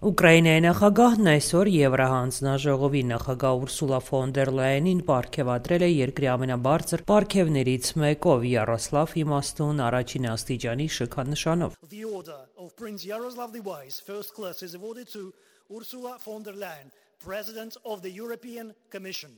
Ուկրաինայի նախագահն այսօր Եվրահանձնաժողովի նախագահ Ուրսուլա ֆոն դեր Լայենին պարգևատրել է երկրի ամենաբարձր պարգևներից մեկով՝ Յարոսլավ Իմաստուն առաջին աստիճանի շքանշանով։ The order of Prince Yaroslav the Wise, first class, is awarded to Ursula von der Leyen, President of the European Commission.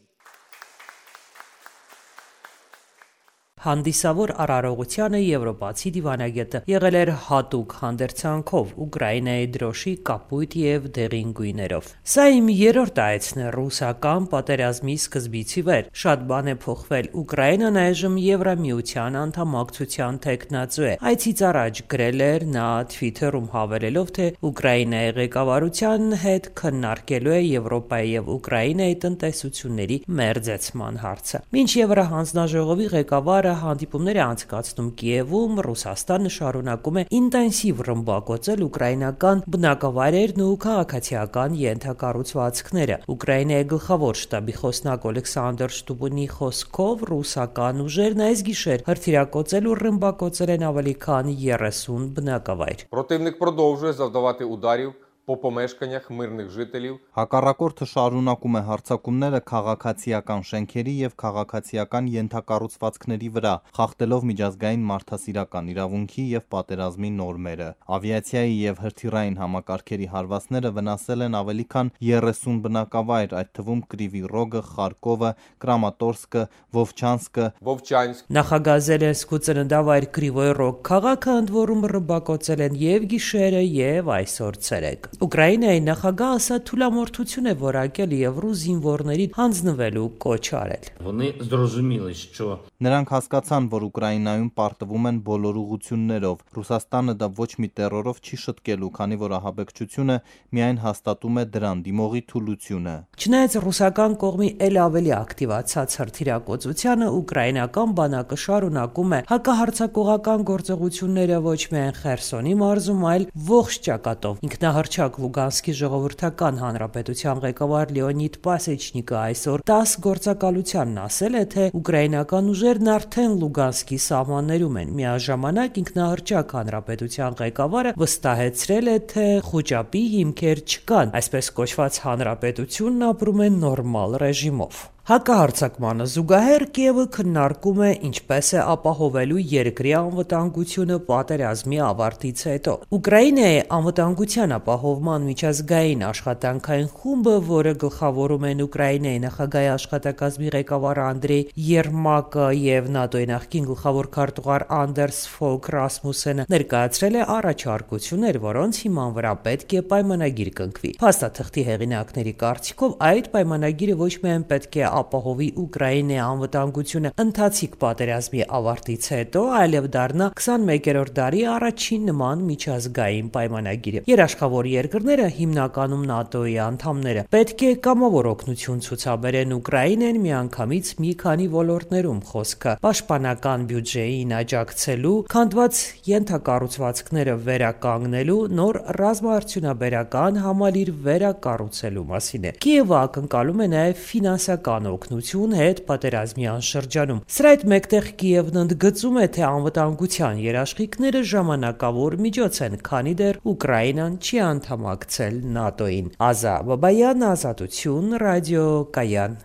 Հանդիսավոր արարողությանը եվրոպացի դիվանագետը եղել էր հատուկ հանդերձանքով Ուկրաինայի դրոշի կապույտ եւ դեղին գույներով։ Սա իմ երրորդ այցն է ռուսական պատերազմի սկզբից ի վեր։ Շատ բան է փոխվել։ Ուկրաինան այժմ Եվրամիության անդամակցության թեկնածու է։ Այցից առաջ գրել էր նա Twitter-ում հավելելով, թե Ուկրաինայի ղեկավարության հետ քննարկելու է Եվրոպայի եւ Ուկրաինայի տնտեսությունների մերձեցման հարցը։ Մինչ Եվրահանձնաժողովի ղեկավարը հանդիպումներ է անցկացնում Կիևում, Ռուսաստանը շարունակում է ինտենսիվ ռմբակոծել ուկրաինական բնակավայրերն ու քաղաքացիական ենթակառուցվածքները։ Ուկրաինայի գլխավոր շտաբի խոսնակ Օլեքսանդր Շտուբունի խոսքով ռուսական ուժերն այս գիշեր հրթիռակոծել ու ռմբակոծել են ավելի քան 30 բնակավայր։ Противник продовжує завдавати ударів по помешканнях мирних жителів. Հակառակորդը շարունակում է հարձակումները քաղաքացիական շենքերի եւ քաղաքացիական ենթակառուցվածքների վրա, խախտելով միջազգային մարդասիրական իրավունքի եւ պատերազմի նորմերը։ Ավիացիայի եւ հրթիռային համակարգերի հարվածները վնասել են ավելի քան 30 բնակավայր, այդ թվում Կրիվի Ռոգը, Խարկովը, Կրամատորսկը, Վովչանսկ։ Նախագահ Զելենսկու ծննդավայր Կրիվոյ Ռոգ քաղաքը ընդ որում ռմբակոծել են եւ գիշերը եւ այսօր ցերեկ։ Ուկրաինայի նախագահը սա թուլամորթություն է որակել եւ ռուս զինվորներին հանձնվելու կոչ արել։ Вони зрозуміли, що Նրանք հասկացան, որ Ուկրաինայում պարտվում են բոլոր ուղղություններով։ Ռուսաստանը դա ոչ մի տերորով չի շտկելու, քանի որ ահաբեկչությունը միայն հաստատում է դրան դիմողի թուլությունը։ Չնայած ռուսական կողմի ել ավելի ակտիվացած հրթիռակոծությանը, ուկրաինական բանակը շարունակում է հակահարձակողական գործողությունները ոչ միայն Խերսոնի մարզում, այլ ողջ ճակատով։ Ինքնահռչակ Լուգանսկի ժողովրդական հանրապետության ղեկավար Լեոնիդ Պասեչնիկը այսօր 10 գործակալությանն ասել է, թե ուկրաինական ուժերն արդեն Լուգանսկի սահմաններում են։ Միաժամանակ ինքնահռչակ հանրապետության ղեկավարը վստահեցրել է, թե խոճապի հիմքեր չկան, այսպես կոչված հանրապետությունն ապրում է նորմալ ռեժիմով։ Հակահարձակմանը զուգահեռ Կիևը քննարկում է ինչպես է ապահովելու երկրի անվտանգությունը պատերազմի ավարտից հետո։ Ուկրաինայի անվտանգության ապահովման միջազգային աշխատանքային խումբը, որը գլխավորում են Ուկրաինայի նախագահի աշխատակազմի ղեկավար Անդրեյ Երմակը եւ ՆԱՏՕ-ի նախկին գլխավոր քարտուղար Անդերս Ֆոլք Ռասմուսենը, ներկայացրել է առաջարկություններ, որոնց հիման վրա պետք է պայմանագիր կնքվի։ Փաստաթղթի հեղինակների կարծիքով այդ պայմանագիրը ոչ միայն պետք է ապահովի Ուկրաինայի անվտանգությունը ընթացիկ պատերազմի ավարտից հետո, այլև դառնա 21-րդ դարի առաջին նման միջազգային պայմանագիրը։ Երաշխավոր երկրները, հիմնականում ՆԱՏՕ-ի անդամները, պետք է կամավոր օգնություն ցուցաբերեն Ուկրաինեն միանգամից մի քանի ոլորտներում, խոսքը պաշտպանական բյուջեին աջակցելու, քանդված ենթակառուցվածքները վերականգնելու, նոր ռազմաարդյունաբերական համալիր վերակառուցելու մասին է։ Կիևը ակնկալում է նաև ֆինանսական օգնություն հետ պատերազմի անշրջանում։ Սրա հետ մեկտեղ Կիևն ընդգծում է, թե անվտանգության երաշխիքները ժամանակավոր միջոց են, քանի դեռ Ուկրաինան չի անդամակցել ՆԱՏՕ-ին։ Ազա Բաբայան, Ազատություն, ռադիո Կայան։